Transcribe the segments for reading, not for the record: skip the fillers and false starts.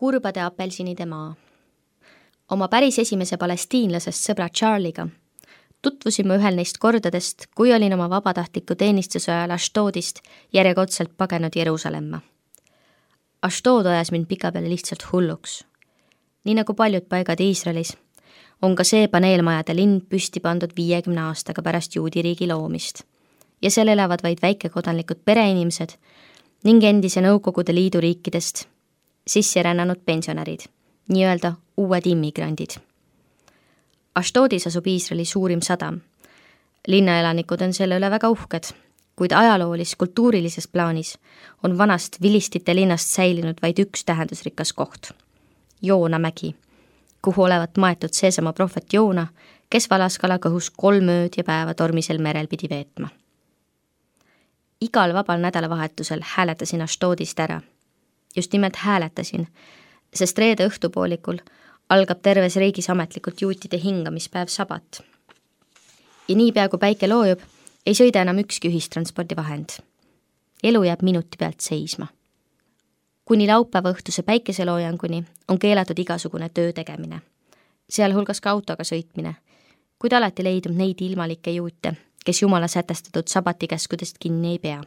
kurbade apelsinide maa. Oma päris esimese palestiinlasest sõbra Charliga tutvusime ühel neist kordadest, kui olin oma vabatahtliku teenistuse ajal Ashdodist järjekordselt pagenud Jeruusalemma. Ashdod ajas mind pikapeale lihtsalt hulluks. Nii nagu paljud paigad Iisraelis, on ka see paneelmajade linn püsti pandud 50 aastaga pärast juudi riigi loomist ja seal elavad vaid väikekodanlikud pereinimesed ning endise Nõukogude Liidu riikidest sisse rännanud pensionärid, nii-öelda uued immigrandid. Ashdodis asub Iisraeli suurim sadam. Linnaelanikud on selle üle väga uhked, kuid ajaloolis-kultuurilises plaanis on vanast vilistite linnast säilinud vaid üks tähendusrikas koht. Joona mägi, kuhu olevat maetud seesama prohvet Joona, kes Valaskala kõhus 3 ööd ja päeva tormisel merel pidi veetma. Igal vabal nädalavahetusel hääletasin Ashdodist ära. Just nimelt hääletasin, sest reede õhtupoolikul algab terves riigis ametlikult juutide hingamispäev sabat. Ja niipea kui päike loojub, ei sõida enam ükski ühistranspordivahend. Elu jääb minuti pealt seisma. Kuni laupäeva õhtuse päikeseloojanguni on keelatud igasugune töö tegemine, sealhulgas ka autoga sõitmine, kuid alati leidub neid ilmalikke juute, kes Jumala sätestatud sabatikäskudest kinni ei pea.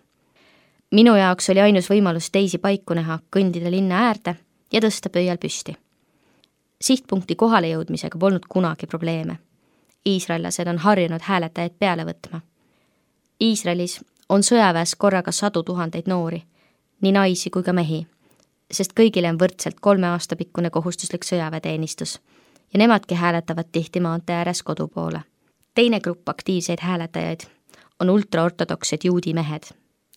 Minu jaoks oli ainus võimalus teisi paiku näha, kõndida linna äärde ja tõsta pöial püsti. Sihtpunkti kohale jõudmisega polnud kunagi probleeme. Iisraellased on harjunud hääletajaid peale võtma. Iisraelis on sõjaväes korraga 100 000 noori, nii naisi kui ka mehi, sest kõigile on võrdselt 3 aasta pikkune kohustuslik sõjaväeteenistus ja nemadki hääletavad tihti maantee ääres kodu poole. Teine grupp aktiivseid hääletajaid on ultraortodoksed juudi mehed,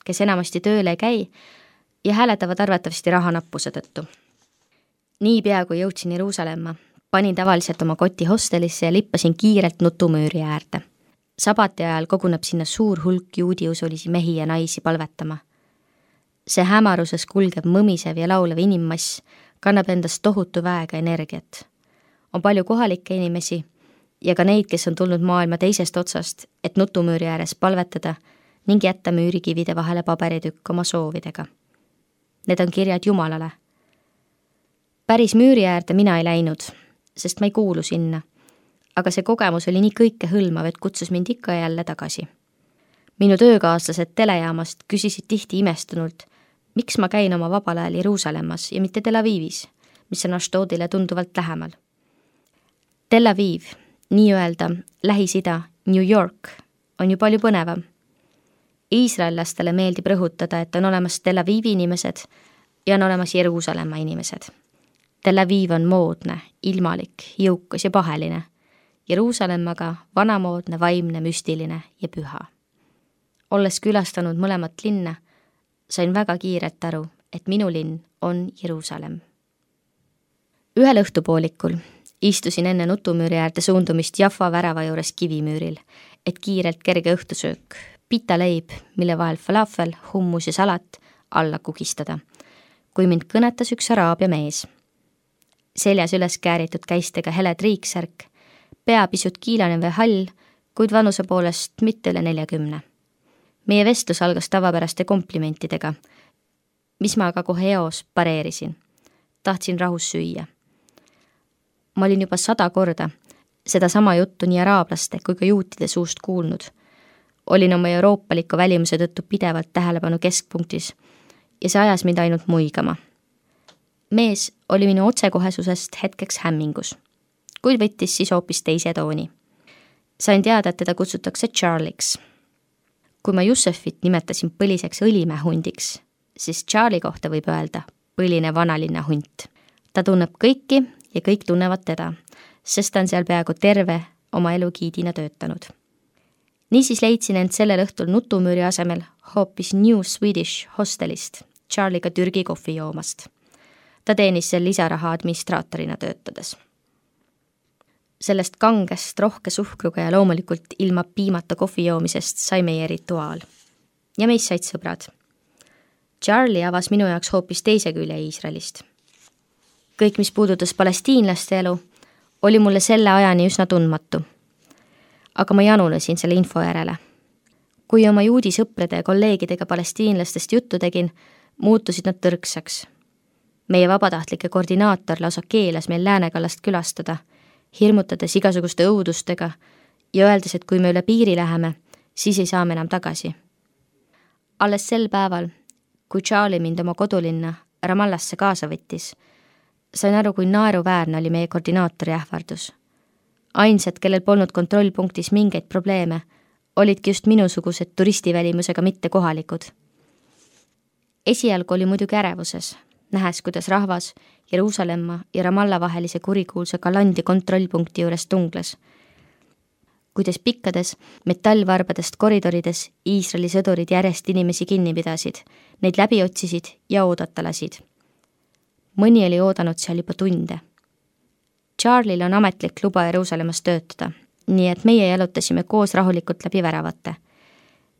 kes enamasti tööle ei käi ja hääletavad arvatavasti rahanappuse tõttu. Niipea kui jõudsin Jeruusalemma, panin tavaliselt oma koti hostelisse ja lippasin kiirelt nutumüüri äärde. Sabati ajal koguneb sinna suur hulk juudi usulisi mehi ja naisi palvetama. See hämaruses kulgev mõmisev ja laulev inimmass kannab endast tohutu väega energiat. On palju kohalikke inimesi ja ka neid, kes on tulnud maailma teisest otsast, et nutumüüri ääres palvetada ning jätta müürikivide vahele paberitükk oma soovidega. Need on kirjad Jumalale. Päris müüri äärde mina ei läinud, sest ma ei kuulu sinna, aga see kogemus oli nii kõikehõlmav, et kutsus mind ikka jälle tagasi. Minu töökaaslased telejaamast küsisid tihti imestunult, miks ma käin oma vabal ajal Jeruusalemmas ja mitte Tel Avivis, mis on Ashdodile tunduvalt lähemal. Tel Aviv, nii-öelda Lähis-Ida, New York, on ju palju põnevam. Iisraellastele meeldib rõhutada, et on olemas Tel Avivi inimesed ja on olemas Jeruusalemma inimesed. Tel Aviv on moodne, ilmalik, jõukas ja paheline. Jeruusalemmaga vanamoodne, vaimne, müstiline ja püha. Olles külastanud mõlemat linna, sain väga kiirelt aru, et minu linn on Jeruusalem. Ühel õhtupoolikul istusin enne nutumüüri äärde suundumist Jaffa värava juures kivimüüril, et kiirelt kerge õhtusöök, pitaleib, mille vahel falafel, hummus ja salat alla kugistada, kui mind kõnetas üks araabia mees. Seljas üles kääritud käistega hele triiksärk, pea pisut kiilanev ja hall, kuid vanuse poolest mitte üle 40. Meie vestlus algas tavapäraste komplimentidega, mis ma aga kohe eos pareerisin. Tahtsin rahus süüa. Ma olin juba 100 korda seda sama juttu nii araablaste kui ka juutide suust kuulnud. Olin oma euroopaliku välimuse tõttu pidevalt tähelepanu keskpunktis ja see ajas mind ainult muigama. Mees oli minu otsekohesusest hetkeks hämmingus, kuid võttis siis hoopis teise tooni. Sain teada, et teda kutsutakse Charliks. Kui ma Jussefit nimetasin põliseks õlimähundiks, siis Charlie kohta võib öelda põline vanalinna hunt. Ta tunneb kõiki ja kõik tunnevad teda, sest ta on seal peaaegu terve oma elu giidina töötanud. Niisiis leidsin end sellel õhtul nutumüüri asemel hoopis New Swedish hostelist Charliga Türgi kohvi joomast. Ta teenis seal lisaraha administraatorina töötades. Sellest kangest, rohke suhkruga ja loomulikult ilma piimata kohvi joomisest sai meie rituaal. Ja meist said sõbrad. Charlie avas minu jaoks hoopis teise külje Iisraelist. Kõik, mis puudutas palestiinlaste elu, oli mulle selle ajani üsna tundmatu. Aga ma janulesin selle info järele. Kui oma juudi sõprade ja kolleegidega palestiinlastest juttu tegin, muutusid nad tõrksaks. Meie vabatahtlike koordinaator lausa keelas meil läänekallast külastada, hirmutades igasuguste õudustega ja öeldes, et kui me üle piiri läheme, siis ei saa me enam tagasi. Alles sel päeval, kui Charlie mind oma kodulinna Ramallasse kaasa võttis, sain aru, kui naeruväärne oli meie koordinaatori ähvardus. Ainsad, kellel polnud kontrollpunktis mingeid probleeme, olidki just minusugused turistivälimusega mitte kohalikud. Esialgu oli muidugi ärevuses, nähes, kuidas rahvas Jeruusalemma ja Ramalla vahelise kurikuulsa Galandi kontrollpunkti juures tungles. Kuidas pikkades metallvarbadest koridorides Iisraeli sõdurid järjest inimesi kinni pidasid, neid läbi otsisid ja oodata lasid. Mõni oli oodanud seal juba tunde. Charlie'l on ametlik luba Jeruusalemmas töötada, nii et meie jalutasime koos rahulikult läbi väravate.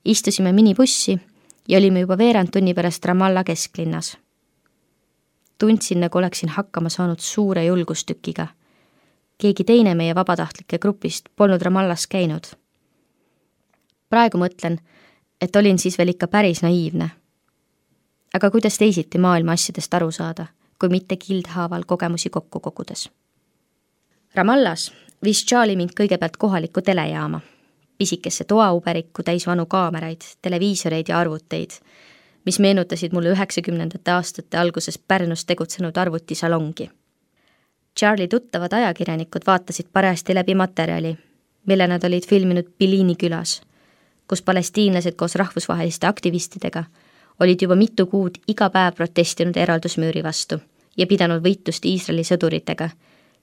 Istusime minibussi ja olime juba veerand tunni pärast Ramalla kesklinnas. Tundsin, nagu oleksin hakkama saanud suure julgustükiga. Keegi teine meie vabatahtlike grupist polnud Ramallas käinud. Praegu mõtlen, et olin siis veel ikka päris naiivne. Aga kuidas teisiti maailma asjadest aru saada, kui mitte kildhaaval kogemusi kokku kogudes? Ramallas viis Charlie mind kõigepealt kohalikku telejaama, pisikesse toauberikku täis vanu kaameraid, televiisoreid ja arvuteid, mis meenutasid mulle 90. aastate alguses Pärnus tegutsenud arvutisalongi. Charlie tuttavad ajakirjanikud vaatasid parajasti läbi materjali, mille nad olid filminud Biliini külas, kus palestiinlased koos rahvusvaheliste aktivistidega olid juba mitu kuud iga päev protestinud eraldusmüüri vastu ja pidanud võitlust Iisraeli sõduritega,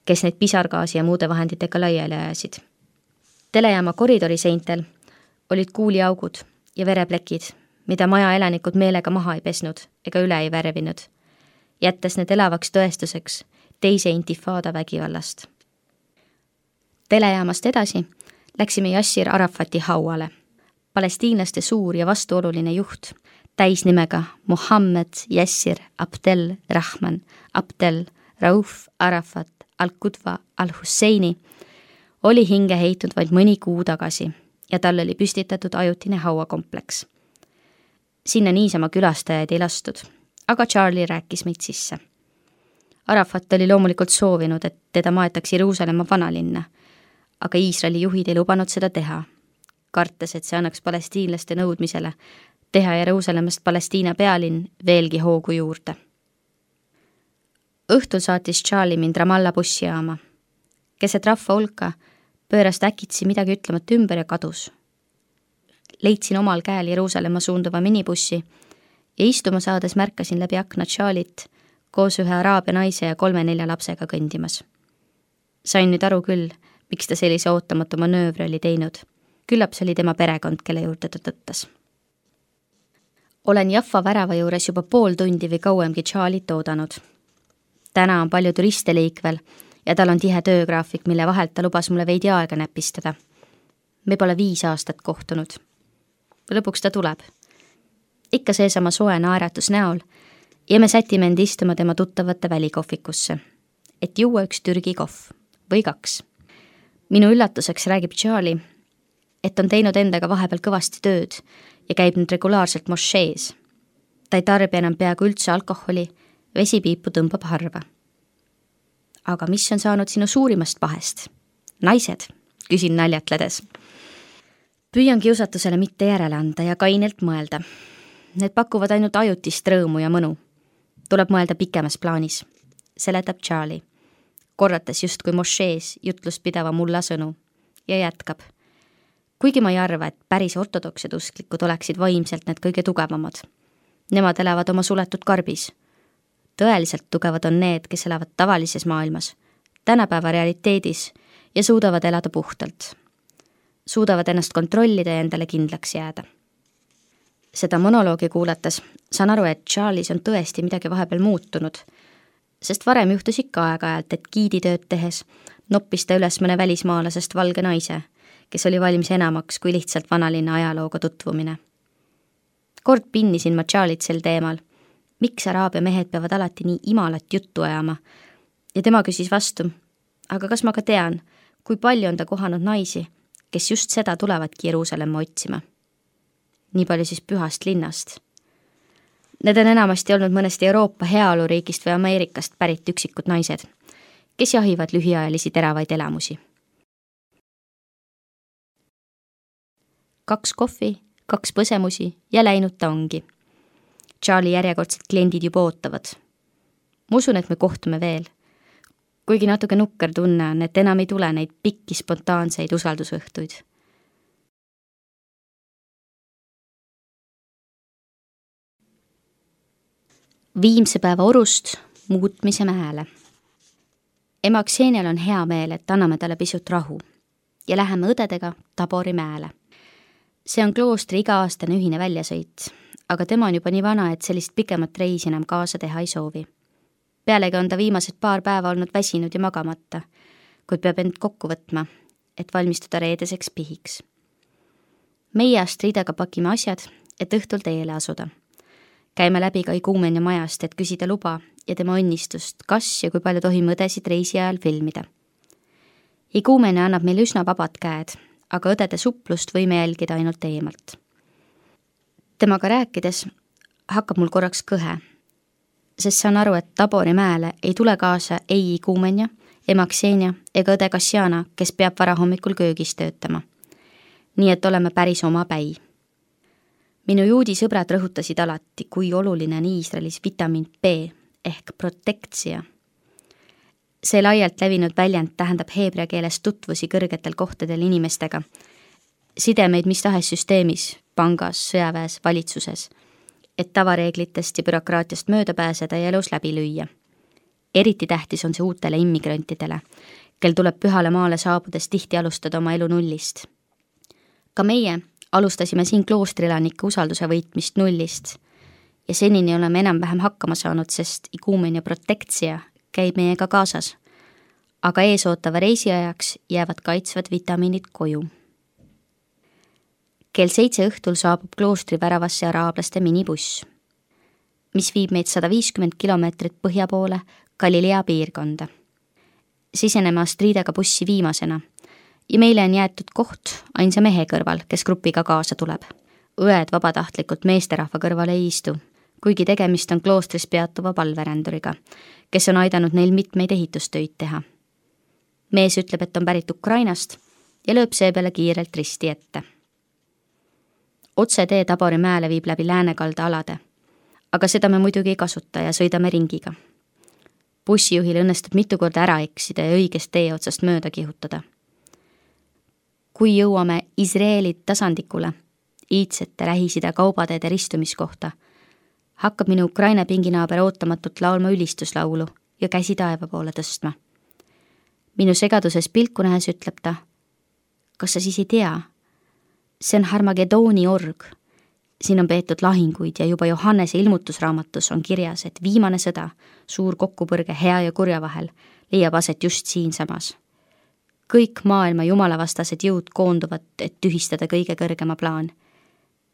kes neid pisargaasi ja muude vahenditega laiali ajasid. Telejaama koridori-seintel olid kuuliaugud ja vereplekid, mida maja elanikud meelega maha ei pesnud ega üle ei värvinud, jättes need elavaks tõestuseks teise intifaada vägivallast. Telejaamast edasi läksime Yasser Arafati hauale, palestiinlaste suur ja vastuoluline juht, täisnimega Mohammed Yasser Abdel Rahman Abdel Rauf Arafat Al-Qudwa Al-Husseini oli hinge heitnud vaid mõni kuu tagasi ja tal oli püstitatud ajutine hauakompleks. Sinna niisama külastajaid ei lastud, aga Charlie rääkis meid sisse. Arafat oli loomulikult soovinud, et teda maetaks Jeruusalemma vanalinna, aga Iisraeli juhid ei lubanud seda teha, kartes, et see annaks palestiinlaste nõudmisele teha Jeruusalemmast Palestiina pealinn veelgi hoogu juurde. Õhtul saatis Charlie mind Ramalla bussijaama. Keset rahva hulka pööras äkitsi midagi ütlemat ümber ja kadus. Leidsin omal käel Jeruusalemma suunduva minibussi ja istuma saades märkasin läbi akna Charliet koos ühe araabia naise ja 3-4 lapsega kõndimas. Sain nüüd aru küll, miks ta sellise ootamatu manöövri oli teinud. Küllap see oli tema perekond, kelle juurde ta tõttas. Olen Jaffa värava juures juba pool tundi või kauemgi Charliet oodanud. Täna on palju turiste liikvel ja tal on tihe töögraafik, mille vahelt ta lubas mulle veidi aega näpistada. Me pole 5 aastat kohtunud. Lõpuks ta tuleb. Ikka seesama soe naeratus näol ja me sätime end istuma tema tuttavate välikohvikusse, et juua üks Türgi kohv või 2. Minu üllatuseks räägib Charlie, et on teinud endaga vahepeal kõvasti tööd ja käib nüüd regulaarselt mošees. Ta ei tarbi enam peaaegu üldse alkoholi, vesipiipu tõmbab harva. Aga mis on saanud sinu suurimast pahest? Naised, küsin naljatledes. Püüan kiusatusele mitte järele anda ja kainelt mõelda. Need pakuvad ainult ajutist rõõmu ja mõnu. Tuleb mõelda pikemas plaanis, seletab Charlie, korrates justkui mošees jutlust pidava mulla sõnu ja jätkab. Kuigi ma ei arva, et päris ortodoksed usklikud oleksid vaimselt need kõige tugevamad. Nemad elavad oma suletud karbis. Tõeliselt tugevad on need, kes elavad tavalises maailmas, tänapäeva realiteedis ja suudavad elada puhtalt. Suudavad ennast kontrollida ja endale kindlaks jääda. Seda monoloogi kuulates saan aru, et Charlies on tõesti midagi vahepeal muutunud, sest varem juhtus ikka aeg-ajalt, et giiditööd tehes noppis ta üles mõne välismaalasest valge naise, kes oli valmis enamaks kui lihtsalt vanalinna ajalooga tutvumine. Kord pinnisin ma Charliet sel teemal, miks araabia mehed peavad alati nii imalat juttu ajama, ja tema küsis vastu, aga kas ma ka tean, kui palju on ta kohanud naisi, kes just seda tulevadki Jeruusalemma otsima. Nii palju siis pühast linnast. Need on enamasti olnud mõnest Euroopa heaoluriigist või Ameerikast pärit üksikud naised, kes jahivad lühiajalisi teravaid elamusi. 2 kohvi, 2 põsemusi ja läinud ta ongi. Charlie järjekordsed kliendid juba ootavad. Ma usun, et me kohtume veel. Kuigi natuke nukker tunne on, et enam ei tule neid pikki spontaanseid usaldusõhtuid. Viimse päeva orust muutmise mäele. Ema Ksenial on hea meel, et anname talle pisut rahu ja läheme õdedega Tabori mäele. See on kloostri iga-aastane ühine väljasõit, aga tema on juba nii vana, et sellist pikemat reisi enam kaasa teha ei soovi. Pealegi on ta viimased paar päeva olnud väsinud ja magamata, kuid peab end kokku võtma, et valmistuda reedeseks pihiks. Meie Astridaga pakime asjad, et õhtul teele asuda. Käime läbi ka Iguumenia majast, et küsida luba ja tema õnnistust, kas ja kui palju tohime õdesid reisi ajal filmida. Iguumenia annab meile üsna vabad käed, aga õdede suplust võime jälgida ainult eemalt. Temaga rääkides hakkab mul korraks kõhe, sest saan aru, et Tabori mäele ei tule kaasa ei Iguumenia, ema Ksenia ega õde Kassiana, kes peab varahommikul köögis töötama. Nii et oleme päris oma päi. Minu juudi sõbrad rõhutasid alati, kui oluline on Iisraelis vitamiin B ehk protektsia. See laialt levinud väljend tähendab heebrea keeles tutvusi kõrgetel kohtadel inimestega, sidemeid mis tahes süsteemis, pangas, sõjaväes, valitsuses, et tavareeglitest ja bürokraatiast mööda pääseda ja elus läbi lüüa. Eriti tähtis on see uutele immigrantidele, kel tuleb pühale maale saabudes tihti alustada oma elu nullist. Ka meie alustasime siin kloostrilanike usalduse võitmist nullist ja senini oleme enam-vähem hakkama saanud, sest Iguumenia protektsia käib meiega kaasas, aga eesootava reisiajaks jäävad kaitsvad vitamiinid koju. Kell 7 õhtul saabub kloostri väravasse araablaste minibuss, mis viib meid 150 kilomeetrit põhja poole Galilea piirkonda. Siseneme Astridaga bussi viimasena ja meile on jäetud koht ainsa mehe kõrval, kes grupiga kaasa tuleb. Õed vabatahtlikult meesterahva kõrval ei istu, kuigi tegemist on kloostris peatuva palveränduriga, kes on aidanud neil mitmeid ehitustöid teha. Mees ütleb, et on pärit Ukrainast ja lööb seepeale kiirelt risti ette. Otse tee Tabori mäele viib läbi läänekalda alade, aga seda me muidugi ei kasuta ja sõidame ringiga. Bussijuhil õnnestub mitu korda ära eksida ja õigest tee otsast mööda kihutada. Kui jõuame Iisraeli tasandikule, iidsete Lähis-Ida kaubateede ristumiskohta, hakkab minu Ukraina pinginaaber ootamatult laulma ülistuslaulu ja käsi taeva poole tõstma. Minu segaduses pilku nähes ütleb ta, kas sa siis ei tea? See on Harmagedooni org. Siin on peetud lahinguid ja juba Johannese ilmutusraamatus on kirjas, et viimane sõda, suur kokkupõrge hea ja kurja vahel, leiab aset just siinsamas. Kõik maailma jumalavastased jõud koonduvad, et tühistada kõige kõrgema plaan.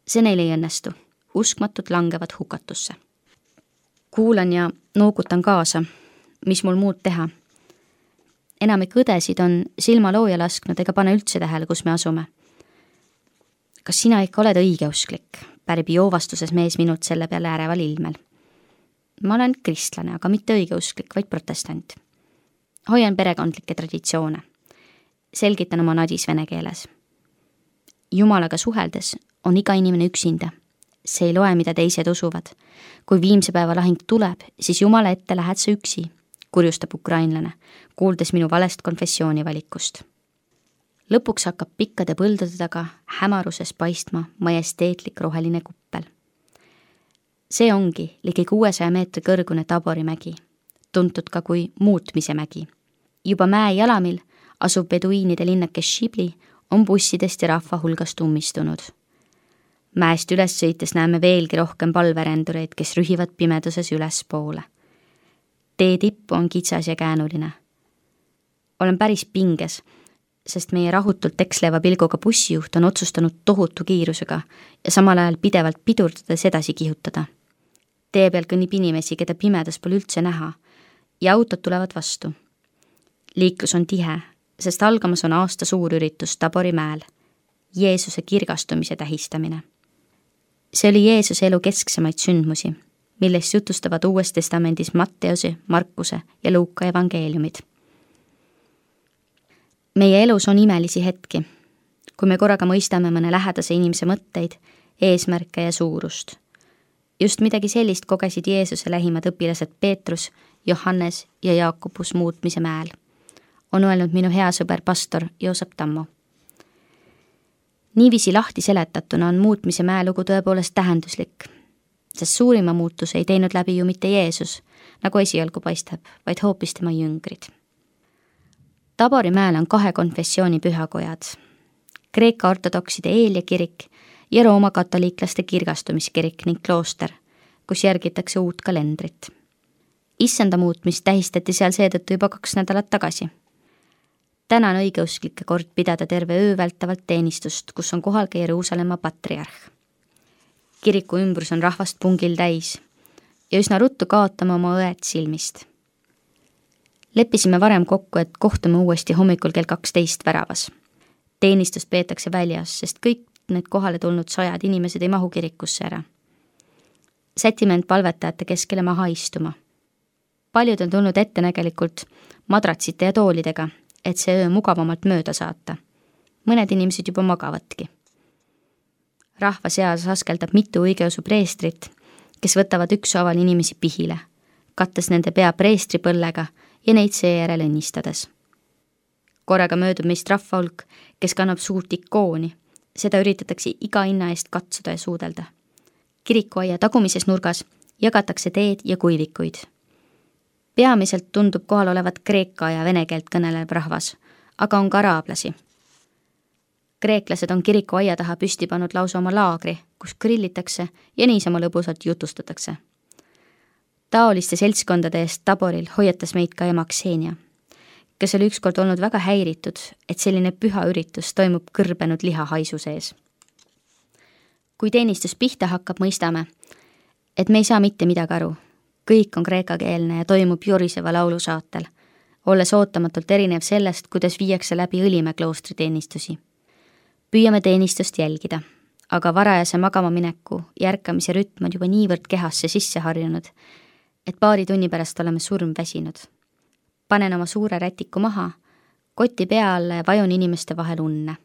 See neil ei õnnestu. Uskmatud langevad hukatusse. Kuulan ja noogutan kaasa, mis mul muud teha. Enamik õdesid on silma looja lasknud ega pane üldse tähele, kus me asume. Kas sina ikka oled õigeusklik? Pärib joovastuses mees minut selle peale äreval ilmel. Ma olen kristlane, aga mitte õigeusklik, vaid protestant. Hoian perekondlikke traditsioone. Selgitan oma nadis vene keeles. Jumalaga suheldes on iga inimene üksinda. See ei loe, mida teised usuvad. Kui viimse päeva lahing tuleb, siis Jumala ette lähed sa üksi, kurjustab ukrainlane, kuuldes minu valest konfessioonivalikust. Lõpuks hakkab pikkade põldude taga hämaruses paistma majesteetlik roheline kuppel. See ongi ligi 600 meetri kõrgune Tabori mägi, tuntud ka kui muutmise mägi. Juba mäe jalamil asuv beduiinide linnake Shibli on bussidest ja rahva hulgast ummistunud. Mäest üles sõites näeme veelgi rohkem palverändureid, kes rühivad pimeduses üles poole. Tee tippu on kitsas ja käänuline. Olen päris pinges, sest meie rahutult eksleva pilguga bussijuht on otsustanud tohutu kiirusega ja samal ajal pidevalt pidurdades edasi kihutada. Tee peal kõnnib inimesi, keda pimedas pole üldse näha ja autod tulevad vastu. Liiklus on tihe, sest algamas on aasta suur üritus Tabori mäel, Jeesuse kirgastumise tähistamine. See oli Jeesuse elu kesksemaid sündmusi millest jutustavad Uues Testamendis Matteuse, Markuse ja Luuka evangeeliumid. Meie elus on imelisi hetki, kui me korraga mõistame mõne lähedase inimese mõtteid, eesmärke ja suurust. Just midagi sellist kogesid Jeesuse lähimad õpilased Peetrus, Johannes ja Jaakobus Muutmise mäel, on öelnud minu hea sõber pastor Joosep Tammo. Niiviisi lahti seletatuna on Muutmise mäelugu tõepoolest tähenduslik, sest suurima muutuse ei teinud läbi ju mitte Jeesus, nagu esialgu paistab, vaid hoopis tema jüngrid. Tabori mäel on 2 konfessiooni pühakojad, Kreeka ortodokside Eelia kirik ja Rooma katoliiklaste kirgastumiskirik ning klooster, kus järgitakse uut kalendrit. Issanda muutmist tähistati seal seetõttu juba 2 nädalat tagasi. Täna on õigeusklike kord pidada terve öö vältavalt teenistust, kus on kohal ka Jeruusalemma patriarh. Kiriku ümbrus on rahvast pungil täis ja üsna ruttu kaotame oma õed silmist. Leppisime varem kokku, et kohtume uuesti hommikul kell 12 väravas. Teenistust peetakse väljas, sest kõik need kohale tulnud 100 inimesed ei mahu kirikusse ära. Sätime end palvetajate keskele maha istuma. Paljud on tulnud ettenägelikult madratsite ja toolidega, et see öö mugavamalt mööda saata. Mõned inimesed juba magavatki. Rahva seas askeldab mitu õigeusu preestrit, kes võtavad ükshaaval inimesi pihile, kattes nende pea preestripõllega ja neid seejärel õnnistades. Korraga möödub meist rahvahulk, kes kannab suurt ikooni. Seda üritatakse iga hinna eest katsuda ja suudelda. Kirikuaia tagumises nurgas jagatakse teed ja kuivikuid. Peamiselt tundub kohal olevat kreeka ja vene keelt kõnelev rahvas, aga on ka araablasi. Kreeklased on kirikuaia taha püsti pannud lausa oma laagri, kus grillitakse ja niisama lõbusalt jutustatakse. Taoliste seltskondade eest Taboril hoiatas meid ka ema Ksenia, kes oli ükskord olnud väga häiritud, et selline püha üritus toimub kõrbenud lihahaisu sees. Kui teenistus pihta hakkab, mõistame, et me ei saa mitte midagi aru. Kõik on kreekakeelne ja toimub joriseva laulu saatel, olles ootamatult erinev sellest, kuidas viiakse läbi Õlimäe kloostri teenistusi. Püüame teenistust jälgida, aga varajase magama mineku ja ärkamise rütm on juba niivõrd kehasse sisse harjunud, et paari tunni pärast oleme surmväsinud. Panen oma suure rätiku maha, koti pea alla ja vajun inimeste vahel unne.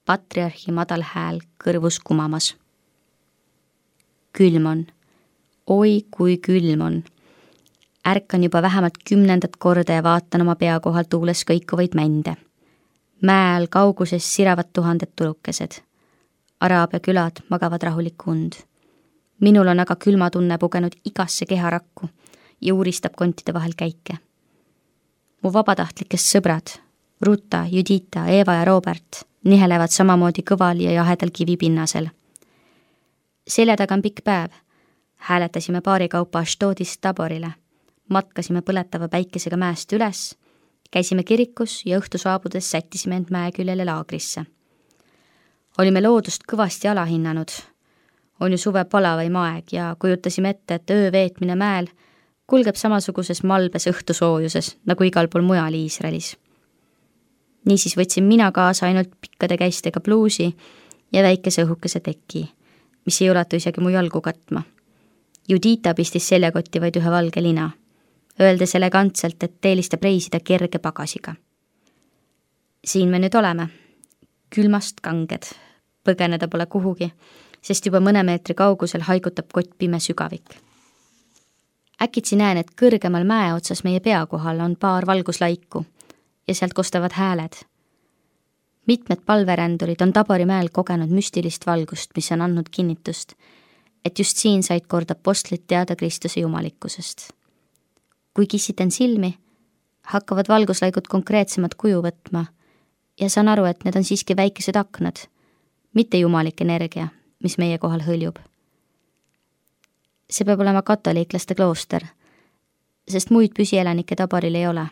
Patriarhi madal hääl kõrvus kumamas. Külm on. Oi, kui külm on. Ärkan juba vähemalt 10. korda ja vaatan oma pea kohal tuules kõikuvaid mände. Mäe all kauguses siravad 1000 tulukesed. Araabia külad magavad rahulikku und. Minul on aga külmatunne pugenud igasse keharakku ja uuristab kontide vahel käike. Mu vabatahtlikest sõbrad, Ruta, Judita, Eva ja Robert, nihelevad samamoodi kõval ja jahedal kivipinnasel. Selja taga on pikk päev. Hääletasime paari kaupa Ashdodist Taborile. Matkasime põletava päikesega mäest üles, käisime kirikus ja õhtu saabudes sättisime end mäe küljele laagrisse. Olime loodust kõvasti alahinnanud. On ju suve palavaim aeg ja kujutasime ette, et öö veetmine mäel kulgeb samasuguses malbes õhtusoojuses, nagu igal pool mujal Iisraelis. Niisiis võtsin mina kaasa ainult pikkade käistega pluusi ja väikese õhukese teki, mis ei ulatu isegi mu jalgu katma. Judita pistis seljakotti vaid ühe valge lina, öeldes elegantselt, et eelistab reisida kerge pagasiga. Siin me nüüd oleme. Külmast kanged. Põgeneda pole kuhugi, sest juba mõne meetri kaugusel haigutab kott pime sügavik. Äkitsi näen, et kõrgemal mäe otsas meie pea kohal on paar valguslaiku ja sealt kostavad hääled. Mitmed palverändurid on Tabori mäel kogenud müstilist valgust, mis on andnud kinnitust, et just siin said kord apostlid teada Kristuse jumalikkusest. Kui kissiten silmi, hakkavad valguslaigud konkreetsemat kuju võtma ja saan aru, et need on siiski väikesed aknad, mitte jumalik energia, mis meie kohal hõljub. See peab olema katoliiklaste klooster, sest muid püsielanikke Taboril ei ole.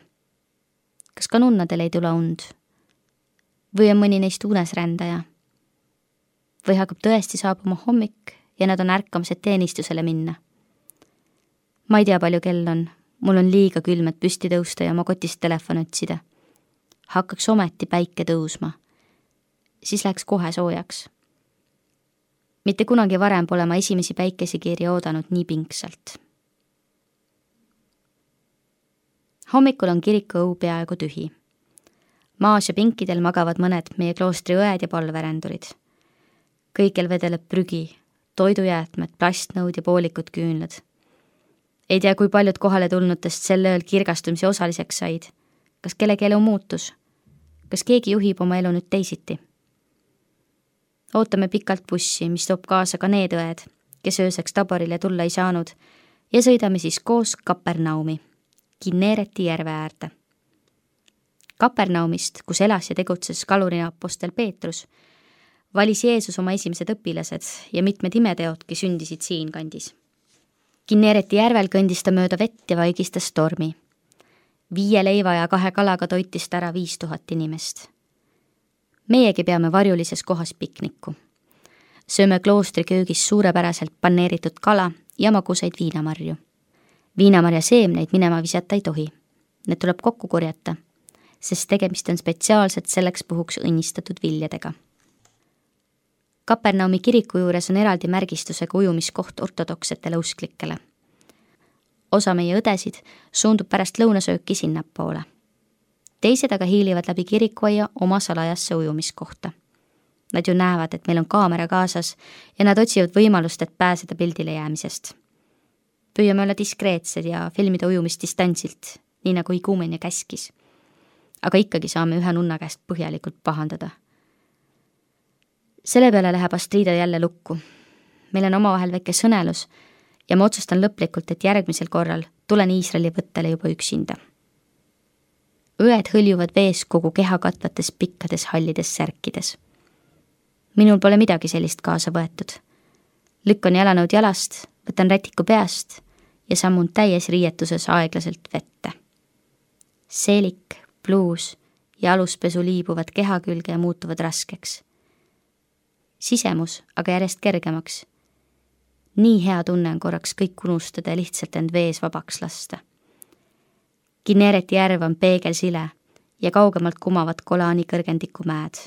Kas ka nunnadel ei tule und? Või on mõni neist unesrändaja? Või hakkab tõesti saabuma hommik ja nad on ärkamased teenistusele minna? Ma ei tea, palju kell on. Mul on liiga külm, et püsti tõusta ja oma kotist telefon otsida. Hakkaks ometi päike tõusma. Siis läheks kohe soojaks. mitte kunagi varem pole ma esimesi päikesekiiri oodanud nii pingsalt. Hommikul on kiriku õu peaaegu tühi. Maas ja pinkidel magavad mõned meie kloostri õed ja palverändurid. Kõikjal vedeleb prügi, toidujäätmed, plastnõud ja poolikud küünlad. Ei tea, kui paljud kohale tulnutest sel ööl kirgastumise osaliseks said. Kas kellegi elu muutus? Kas keegi juhib oma elu nüüd teisiti? Ootame pikalt bussi, mis toob kaasa ka need õed, kes ööseks Taborile tulla ei saanud, ja sõidame siis koos Kapernaumi, Kinnereti järve äärde. Kapernaumist, kus elas ja tegutses kalurina apostel Peetrus, valis Jeesus oma esimesed õpilased ja mitmed imeteodki sündisid siin kandis. Kinnereti järvel kõndis ta mööda vett ja vaigistas stormi. 5 leiva ja 2 kalaga toitis ta ära 5000 inimest. Meiegi peame varjulises kohas pikniku. Sööme kloostri köögis suurepäraselt paneeritud kala ja magusaid viinamarju. Viinamarja seemneid minema visata ei tohi. Need tuleb kokku korjata, sest tegemist on spetsiaalselt selleks puhuks õnnistatud viljadega. Kapernaumi kiriku juures on eraldi märgistusega ujumiskoht ortodoksetele usklikele. Osa meie õdesid suundub pärast lõunasööki sinnapoole. Teised aga hiilivad läbi kirikuaia oma salajasse ujumiskohta. Nad ju näevad, et meil on kaamera kaasas ja nad otsivad võimalust, et pääseda pildile jäämisest. Püüame olla diskreetsed ja filmida ujumist distantsilt, nii nagu iguumen ja käskis. Aga ikkagi saame ühe nunna käest põhjalikult pahandada. Selle peale läheb Astrida jälle lukku. Meil on omavahel väike sõnelus ja ma otsustan lõplikult, et järgmisel korral tulen Iisraeli võttele juba üksinda. Õed hõljuvad vees kogu keha katvates pikkades hallides särkides. Minul pole midagi sellist kaasa võetud. Lükkan jalanõud jalast, võtan rätiku peast ja sammun täies riietuses aeglaselt vette. Seelik, pluus ja aluspesu liibuvad keha külge ja muutuvad raskeks. Sisemus aga järjest kergemaks. Nii hea tunne on korraks kõik unustada ja lihtsalt end vees vabaks lasta. Kinnereti järv on peegelsile ja kaugemalt kumavad Golani kõrgendiku mäed,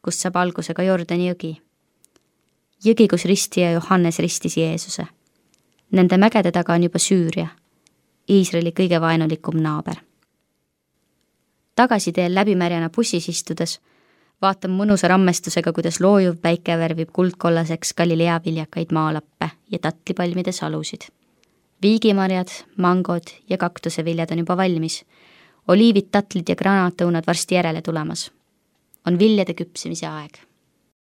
kust saab alguse ka Jordani jõgi. Jõgi, kus ristija Johannes ristis Jeesuse. Nende mägede taga on juba Süüria, Iisraeli kõige vaenulikum naaber. Tagasiteel läbimärjana bussis istudes vaatan mõnusa rammestusega, kuidas loojuv päike värvib kuldkollaseks Galilea viljakaid maalappe ja tatlipalmide salusid. Viigimarjad, mangod ja kaktuseviljad on juba valmis. Oliivid, tatlid ja granaatõunad varsti järele tulemas. On viljade küpsemise aeg.